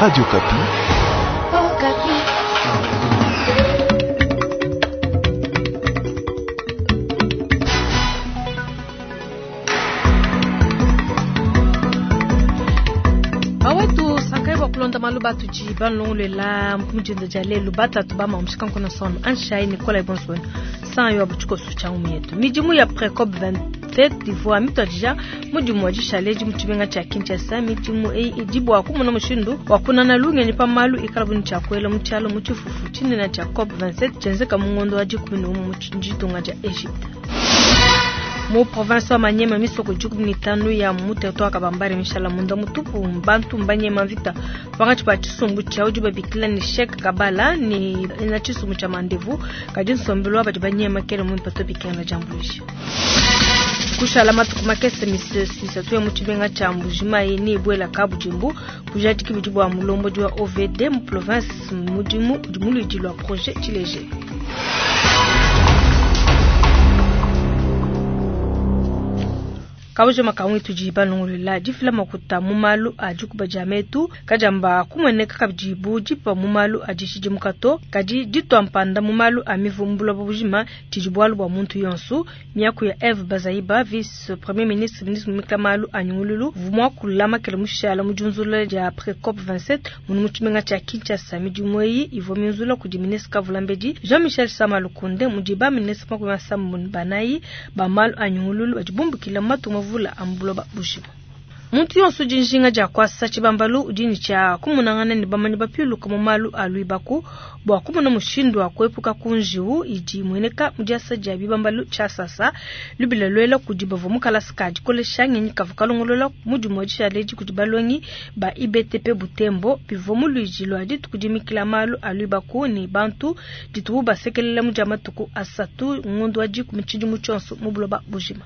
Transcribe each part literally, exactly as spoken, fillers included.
Radio Okapi. Bawetu sankai bua kulonda malu batudi balongolela mujinda dia lelu batatu ba mamushika nkona sono anshai Nicolas Bonson san yo abuchikosu cha umietu midimu ya Precop vingt-sept ivua mituadija mudimu wa dishale mu tshimenga tshia Kinshasa. Midimu eyi idi bua kumona mushindu wa kunana lungenyi pa malu ikala buni tshia kuela mu tshialo mu tshifufu tshinene tshia COP vingt-sept tshienzeka mu ngondo wa dikumi ne umue mu ditunga dia Egypte. Mu province wa Manyema misoko dikumi ne itanu ya mu territoire Kabambare mishala munda mutupu bantu mbanyema mvita pakati pa tshisumbu tshia udi babikila ne Sheikh Kabala ne na tshisumbu tshia Mandevu kadi nsombelu badi banyema kele mu mpato bikena jambulisha. Kushala matuku makese misatu ya mu tshimenga tshia Mbujimayi ne ibwela kabujimbu bujadiki budi bua mulombodi wa O V D mu province mudimu udi muludi lwa projet Tshilejelu. Kabujo makamwe tudi balongolela difila makuta mu malu a dikuba dia metu kajamba kumweneka kabidi bu dipa mu malu a dishidimuka kadi ditwa mpanda mu malu a mivumbula bujima tshidi bualu bua muntu yonso. Miaku ya Eve Bazaiba, vice premier ministre ministre mumika malu a nyungululu vumwa kulama kele mushala mu junzula dia Precop vingt-sept munu mu tshimenga tshia Kinshasa. Midimu eyi ivua minzula kudi ministre Kavulambedi Jean-Michel Sama Lukonde mudi ba ministre makumi asambombo ne banayi ba malu a nyungululu badi bumbukila matu vula ambuloba bujima. Muntu yonso udi njinga dia kuasa tshibambalu udi ne tshia kumunangana ne bamanyi bapiluka mu malu a luibaku bua kumona mushindu wa kuepuka ku njiwu idi imueneka mu diasa dia bibambalu tshia sasa lubila luela kudi bavua mu kalasa ka dikolesha ngenyi kavua kalongolola mudimu wa dishale kudi balongi ba I B T P Butembo bivua mu luidi lua dituku dimikila malu a luibaku ne bantu ditubu basekelela mu dia matuku asatu ngondo wa dikumi tshidimu tshionso mu buloba bujima.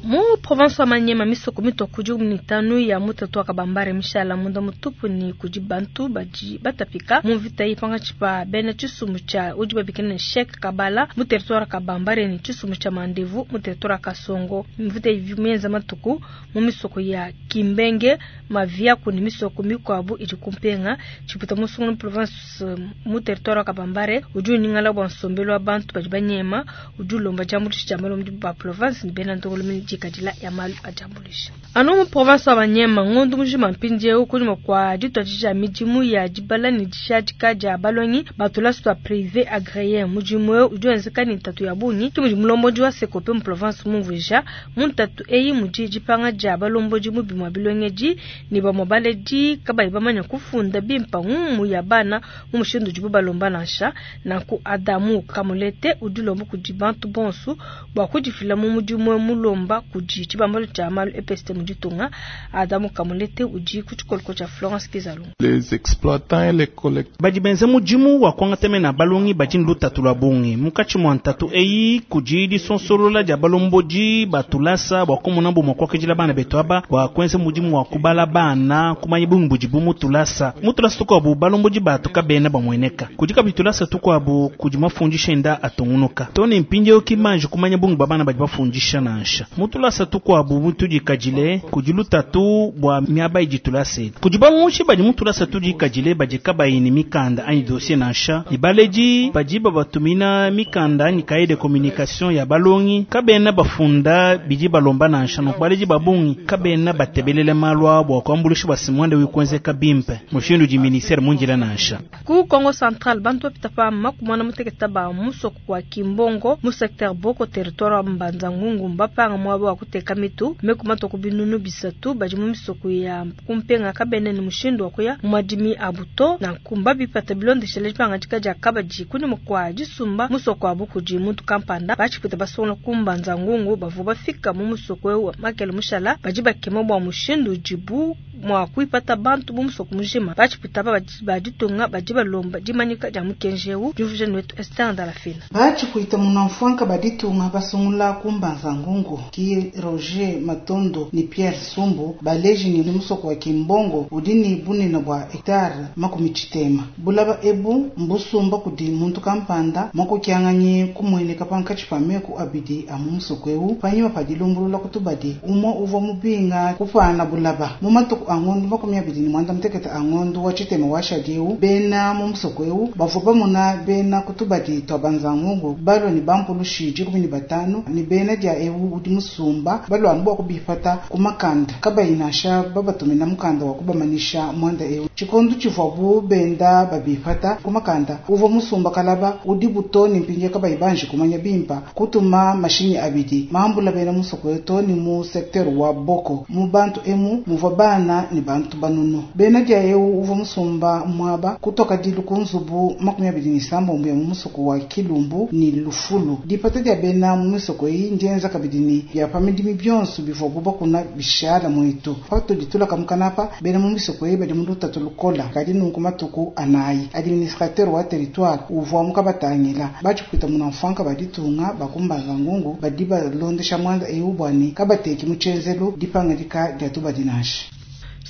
Mu province wa Manyema misoko mitoku dikumi ne itanu ya mu territoire Kabambare mishala munda mutupu ne kudi bantu badi batapika mu mvita iyi pankatshi pa bena tshisumbu tshia udi babikila ne Sheikh Kabala mu territoire Kabambare ne tshisumbu tshia Mandevu mu territoire Kasongo. Mvita iyi mienza matuku mu misoko ya Kimbenge, Maviaku ne misoko mikuabu idi kumpenga tshiputa musungu mu province mu territoire Kabambare udi uningala bua nsombelu wa bantu badi banyema udi ulomba diambuluisha dia malombi ba province ne bena ndongoluelu dikadila ya malu a diambuluisha. Anu mu province wa Manyema ngondo mujima mpindieu kunyima kua dituadija midimu ya dibala ne dishadika dia balongi batulasu twa privé agréé mudimu eu udi wenzeka ne ntatu ya bungi ke mudi mulombodi wa Sekope mu province mumvuija mu ntatu eyi mudi dipanga dia balombodi mu bimua bilongedi ne bamue baledi kabayi bamanya kufunda bimpa ngumu ya bana mu mushindu udibu balomba nansha. Nanku Adamu Kamulete udi ulomba kudi bantu bonso bua kudifila mu mudimu mulomba kudi tshibambalu tshia malu E P S T mu ditunga. Adamu Kamulete udi ku tshikoloko tshia Florence Kizalungu. Les exploitants et les collecteurs badi benza mudimu wa kuangatana balongi badi ne lutatu lwa bungi munkatshi mua ntatu eyi kudi disonsolola dia balombodi batulasa bua kumona bumue kuakidila bana betu aba bua kuenza mudimu wa kubala bana kumanya bungi budibu mutulasa mutulasa tukuabu balombodi batu kabena bamueneka kudi kabidi tulasa tukuabu kudi mafundisha enda atungunuka tone mpindieu kimanje kumanya bungi bua bana badi bafundisha nansha mutulasa tukuabu mutudikadile kudi lutatu bua miaba idi tulasa kudi bamushi badi mutulasa tudikadile badi kabayi ne mikanda anyi dossier nansha ibaledi badi babatumina mikanda anyi cahier de communication ya balongi kabena bafunda bidi balomba nansha no baledi babungi kabena batebelele malu abo kuambulisha basimwande wikwenzeka bimpe mushindu di ministère munjila nansha. Ku Congo Central bantu bapita pa makumwana muteketa ba musoko wa Kimbongo mu secteur Boko territoire wa Mbanza Ngungu mbapanga mwaba wa kuteka mitu mekumatu kubinunu bisatu badi mu misoko ya kumpenga kabene ne mushindu wa kuya mu madimi abuto na nkumba bipata bilondeshele dipanga dia kabadi kunyuma kwa disumba musoko wa bukudi muntu kampanda bachipita basonga kumbanza ngungu bavua bafika mu musoko wa makele mushala badi bakema bua mushindu udibu mua kuipata bantu mu musoko mujima. Batshipwita aba ba ditunga badi balomba dimanyika dia mukenji eu. Diumvuija ne wetu Esther Ndalafina. Batshipwita munamfwanka ba ditunga basungula ku Mbanza Ngungu ki Roger Matondo ni Pierre Sumbu baleji ni musoko wa Kimbongo udi ni bunene bua hectare makumi tshitema. Bulaba ebu mbusumba kudi muntu kampanda makokianganyi kumweneka pankatshi pa meku abidi a mu musoko eu panyima pa dilumbulula kutubadi umwe uvua mubinga kupana bulaba mu matuku a ngondo makumi abidi ni mwanda mutekete a ngondo wa tshitema wa shadi eu bena mu musoko eu bavua bamona bena kutubadi twa Mbanza Ngungu balwa ni bampulushi dikumi ni batanu ni bena dia eu udi musumba balwa anu bua kubipata ku makanda kabayi nansha babatumina mukanda wa kubamanisha mwanda eu tshikondo tshivuabu benda babipata ku makanda uvua musumba kalaba udi buto ni mpinje kabayi banji kumanya bimpa kutuma mashinyi abidi mambula bena musoko to ni mu secteur wa Boko mu bantu emu muvua bana ni bantu banunu bena dia eu uvua musumba mwaba kutoka dilu ku nzubu makumi abidi ni sambombo ya mu musoko wa Kilumbu ni Lufulu dipata dia bena mu misoko eyi ndienza kabidi ni bya pamidimi byonso bivua bakuna bishala mwetu patudi tulaka mukanapa bena mu misoko eyi badi mu lutatu lukola kadi nunku matuku anayi administrateur wa territoire uvua mukabatangila batshipwita munamfwanka baditunga bakumbanza ngungu badi balondesha mwanda eu bwani kabateki mu tshenzelu dipangadika dia tubadi nansha.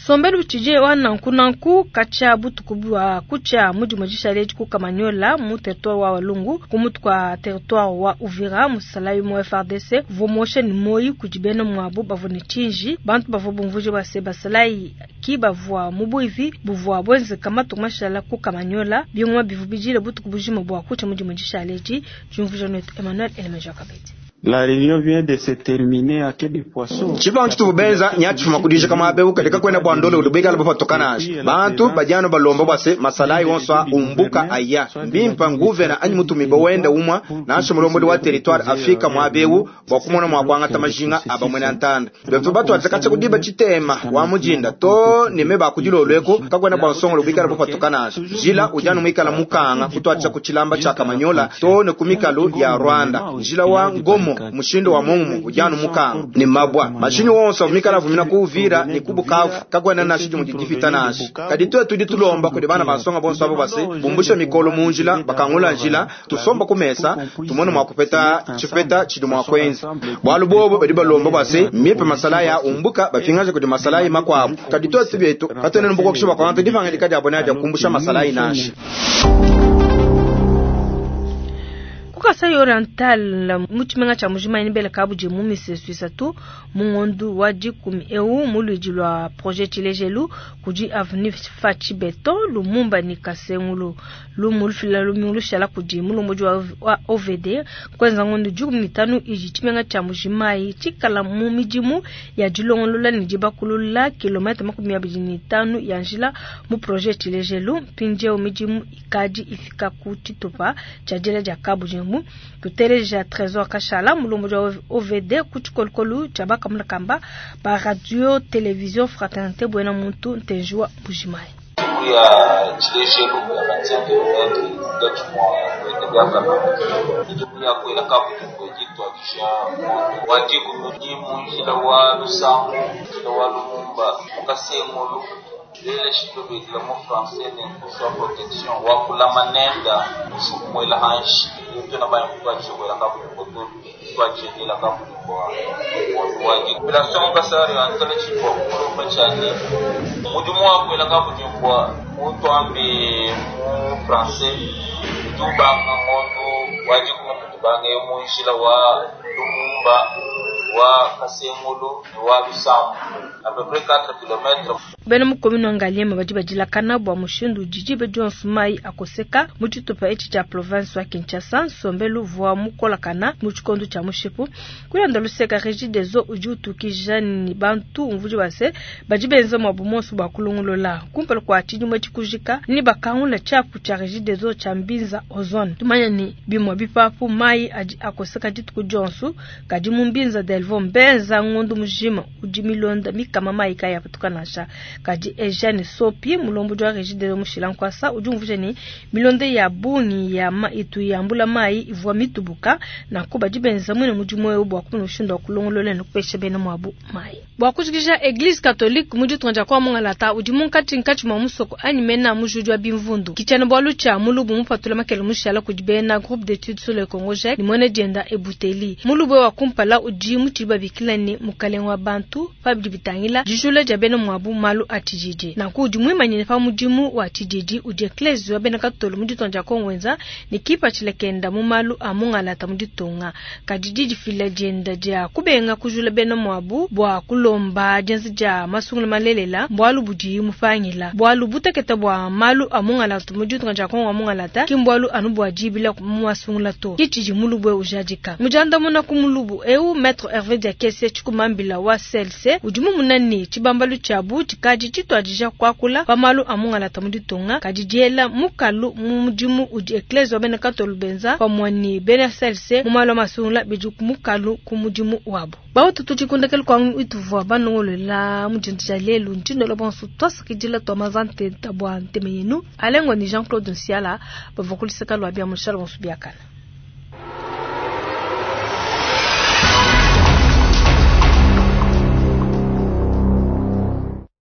Sombelu tshije wa nanku nanku katshia butuku bua kutshia mudimo dishale ku Kamanyola mu territoire wa Walungu ku mutu kwa territoire wa Uvira musalayi mu F R D C vomoshe ni moyi kudi bena mwabo bavua ne tshinji bantu bavua bumvuje base basalayi ki bavua mu buivi buvua bwenzeka matuku mashala ku Kamanyola bingoma bivu bijile butuku bujima bua kutshia mudimo dishale di diumvuija netu Emmanuel Elemeja Kabedi. La réunion vient de se terminer à quai de poisson. Tshibangu tshitubu benza nyatshifuma kudija kama abe ukaleka kwenda bwa ndole ulubika labo patokana ashi. Bantu bajano balomba bwase masalayi wonso umbuka aya. Mbimpa nguvena anyi mutumibo wenda umwa nansha mulomboli wa territoire Afrika mwabewu bwa kumona mwa kwangata majinga abamwe na ntanda. Betu batu atsakacha kudiba chitema wa mujinda to nime bakudilolweko kakwenda bwa nsongo lubika labo patokana ashi. Jila ujano mwikala mukanga kutwacha kuchilamba cha Kamanyola to ne kumikalo ya Rwanda. Jila wa ngomo mushindo wa mungu ujano mukanga ni mabwa mashinyi wonso mikala vumina kuuvira ni kubukavu kagwana na shiji mujidifita nashi kadi tuwe tudi tulomba kudi bana basonga bonso abo base bumbusha mikolo munjila bakangula njila tusomba kumesa tumone mwa kupeta chipeta chidi mwa kwenza bwalu bobo badi balomba base mipe masala ya umbuka bapingaje kudi masala ya makwabo kadi tuwe tubietu katene mbuko kushiba kwa ntu difanga dikadi abona ya kumbusha masala inashi. Kasai Oriental mu tshimenga tshia Mbuji-Mayi bele kabudi mu misesu isatu mu ngondu wa dikumi eu mu luidi lua projet Tshilejelu kudi avenue Fatshi Beton Lumumba ni Kasengulu lumu lufila lumingu lushala kudi mulombodi wa O V D kwenza ngondu dikumi ni tanu idi tshimenga tshia Mbuji-Mayi tshikala mu midimu ya dilongolola ne dibakulula kilomètre makumi abidi ni tanu ya njila mu projet Tshilejelu mpindieu midimu ikadi ifika ku tshitupa tshia diela dia kabudi mu tuteleja Trésor Kashala mulombodi wa O V D ku tshikolokolo tshia bakamulakamba ba radio télévision Fraternité Buena Muntu Ntenjua Mbuji-Mayi. Ya Tshilejelu ya vingt-cinq kilomètres munkatshi mua kwenda midimu ya kwela kabudi ditwadisha wa dikumi ni munjila wa Lusangu njila wa Lumumba mukasengulu lele shitobekela mu français ne nkusu wa protection wa kulama nenda mushumwela hanshi yotona bayamukwatisha kwela kabudi koto twajendela kabudi kwa wa population mukasari antala chipwa kulomba chane mudimu wa kwela kabudi kwa mutwambe mu français tubanga ngondo wajikuma tubange munjila wa Lumumba wa Kasengulu ni wa Lusambu à peu près quatre kilomètres. Bena mu commune wa Ngaliema badi badilakana bua mushindu udi dionso mai akoseka mu tshitupa etshi tshia province wa Kinshasa nsombelu vua mukolakana mu tshikondo tshia mushipu kulanda luseka Regideso udi utukija ni bantu umvudi base badi benza mwabu monso bua kulongolola kumpala kua tshidimue tshikujika ni bakangula tshiapu tshia Regideso tshia Mbinza ozone tumanya ni bimue bipapu mai adi akoseka dituku dionso kadi mu Mbinza de Delvaux mbenza ngondo mujima udi milonda mikama mayi kayi apatuka nansha. Kadi Eugene Sopi mulombodi wa Regideso mushila nkwasa udi umvuija ne milonda ya bungi ya ma itu yambula mayi ivua mitubuka nanku badi benza mwine mudimu eu bua kumona mushindu wa kulongolola ne kupesha bena muabu mayi. Bua kujikija Eglise catholique mu ditunga dia kwa Mungalata udi munkatshi-nkatshi mua musoko anyi mena mujudi wa bimvundu. Kitshiena bualu tshia mulubu mupatula makele mushala kudi bena groupe d'études sur le Congo GEC ni mwene dienda ebuteli. Mulubu wa kumpala udi mutshidi babikila ne mukalenge wa bantu pa bidi bitangila dijula dia bena muabu malu a tshididi. Nanku udi muimanyine pa mudimu wa tshididi udi eklezia wa bena katolo mu ditunga dia Kongo wenza ne kipatshila kenda mu malu a Mungalata mu ditunga. Kadi didifila dienda dia kubenga kujula bena muabu bua kulomba dienza dia masungula malelela mbualu budi mupangila. Bualu butekete bua malu a Mungalata mu ditunga dia Kongo wa Mungalata ki mbualu anu bua dibila mu masungula to. Kitshidi mulubu ujadika. Mujandamuna ku mulubu eu Maître Hervé Diakese Tshikumambila wa C L C udi mumuna ne tshibambalu tshiabu tshikadi tshituadija kuakula pa malu a Mungalata mu ditunga kadi diela mukalu mu mudimu udi eklezia wa bena katolu benza pamue ne bena C L C mu malu a masungula bidi mukalu ku mudimu wabu. Bautu tudikundekele kwa ituvua banongolola mu dintu dia lelu ntshindola bonso twasakidila twa mazante tabwa nteme yenu alengo ni Jean-Claude Nsiala bavua kulisaka lwa bia mushala bonso biakana.